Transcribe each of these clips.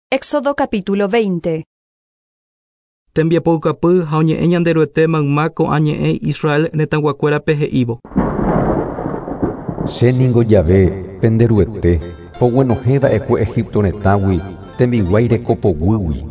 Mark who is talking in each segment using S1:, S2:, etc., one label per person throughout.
S1: Éxodo capítulo 20.
S2: Tembiapoukapy ha oñe'ẽ Ñanderuete mayma ko'ã ñe'ẽ Israel retãguakuérape he'ívo.
S3: Che ningo Yahvé, pende Ruete, poguenohẽ va'ekue Egipto retãgui, tembiguái reko poguýgui.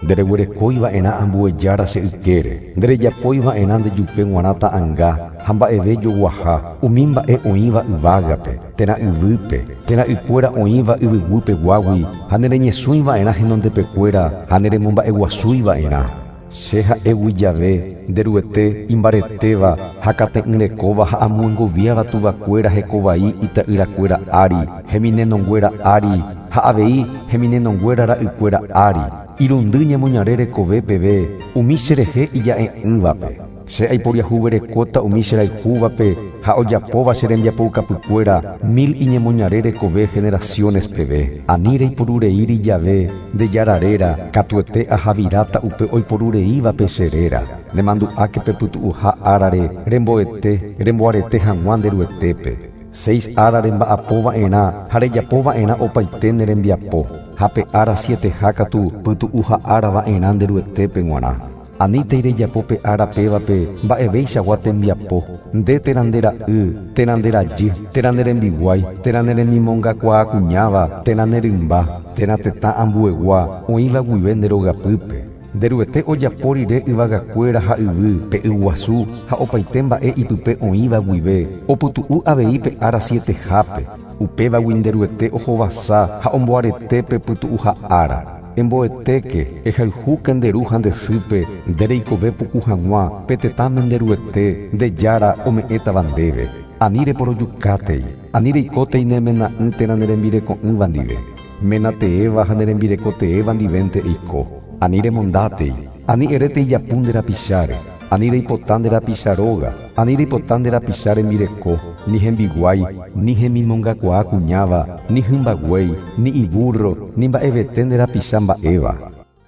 S3: Ndereguerekói va'erã ambue jára che ykére, nderejapói va'erã ndejupe g̃uarã ta'anga ha mba'eve joguaha umi mba'e oĩva yvágape, térã yvýpe, térã ykuéra oĩva yvyguýpeguágui ha nereñesũi va'erã henondepekuéra ha neremomba'eguasúi va'erã. Che ha'égui Yahvé, nde Ruete imbaretéva ha kate'ỹrekóva ha amyengoviáva tuvakuéra hekovai ita'yrakuéra ári, heminenonguéra ári ha avei heminenonguéra ra'ykuéra ári, irundy ñemoñare rekove peve umi cherehe ija'e'ỹvape. Che aiporiahuverekóta umi cherayhúvape ha ojapóva che rembiapoukapykuéra mil iñemoñare rekove generaciones peve. Ani reiporureíri jave nde Jára réra, katuete ahaviráta upe oiporureívape che réra. Nemandu'áke pe pytu'uha árare remboete, remboarete hag̃ua nde Ruetépe. Seis ára remba'apo va'erã ha rejapo va'erã opaite ne rembiapo, ha pe ára sieteha katu pytu'uha ára va'erã nde Ruetépe g̃uarã. Anítei rejapo pe ára pévape mba'eveichagua tembiapo, nde térã nde ra'y, térã nde rajy, térã ne rembiguái, térã ne remimongakuaa kuñáva, térã ne rymba, térã tetã ambuegua oĩva guive nde rogapýpe. Nde Ruete ojapo rire yvagakuéra ha yvy, pe yguasu ha opaite mba'e ipype oĩva guive, opytu'u avei pe ára sietehápe. Upévagui nde Ruete ohovasa ha omboarete pe pytu'uha ára. Emboetéke, ehayhúke nde ru ha nde sýpe, nde reikove puku hag̃ua pe tetãme nde Ruete, nde Jára ome'ẽtava ndéve. Ani reporojukátei, ani reikótei ne mena'ỹ térã ne rembireko'ỹva ndive. Ména teéva ha ne rembireko teéva ndivénte eiko. Ani remondátei, ani erétei japu nde rapicháre, ani reipota nde rapicha róga, ani reipota nde rapicha rembireko, ni hembiguái, ni hemimongakuaa kuñáva, ni hymba guéi, ni ibúrro, ni mba'evete nde rapicha mba'éva.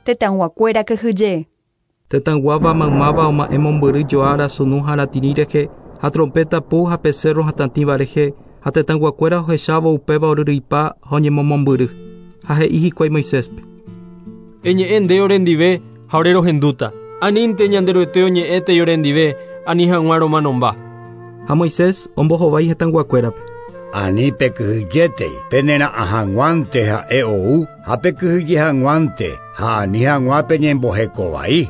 S1: Tetãguakuéra kyhyje.
S2: Tetãguáva maymáva oma'ẽ mombyry joára sunu ha ratĩri rehe ha trompeta pu ha pe cerro hatãtĩva rehe ha tetãguakuéra ohechávo upéva oryryipa ha oñemomombyry. Ha he'i hikuái Moiséspe.
S4: Eñe'ẽ nde orendive ha ore rohendúta. Anínte Ñanderuete oñe'ẽtei orendive, ani hag̃ua romanomba.
S2: Ha Moisés ombohovái hetãguakuérape.
S5: Ani pekyhyjétei, penera'ã hag̃uánte ha'e ou ha pekyhyje hag̃uánte ha ani hag̃ua peñembohekovai.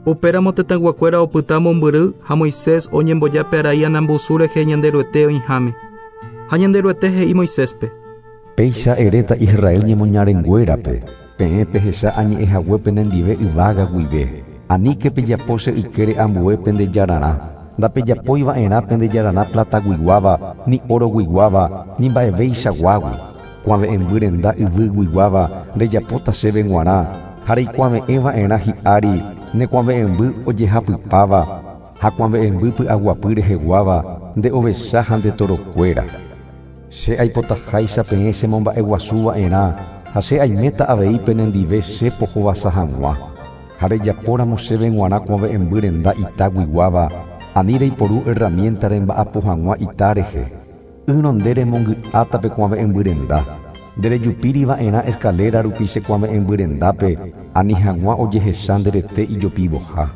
S2: Upéramo tetãguakuéra opyta mombyry ha Moisés oñemboja pe arai anambusu rehe Ñanderuete oĩháme. Ha Ñanderuete he'i Moiséspe.
S3: Péicha eréta Israel ñemoñarenguérape, peẽ pehecha añe'ẽhague penendive yvága guive. Aníke pejapo che ykére ambue pende jararã. Ndapejapói va'erã pende jararã plataguiguáva, ni oroguiguáva, ni mba'eveichaguágui. Kuave'ẽmby renda yvyguiguáva rejapóta chéve g̃uarã ha reikuave'ẽ va'erã hi'ári ne kuave'ẽmby ojehapypáva ha kuave'ẽmby py'aguapy reheguáva nde ovecha ha nde torokuéra. Che aipotaháicha peẽ chemomba'eguasu va'erã ha che aiméta avei penendive che pohovasa hag̃ua. Ha rejapóramo chéve g̃uarã kuave'ẽmby renda itaguiguáva, ani reiporu herramienta remba'apo hag̃ua ita rehe. Ýrõ nde remongy'áta pe kuave'ẽmby renda. Nderejupíri va'erã escalera rupi che kuave'ẽmby rendápe, ani hag̃ua ojehecha nde rete ijopivoha.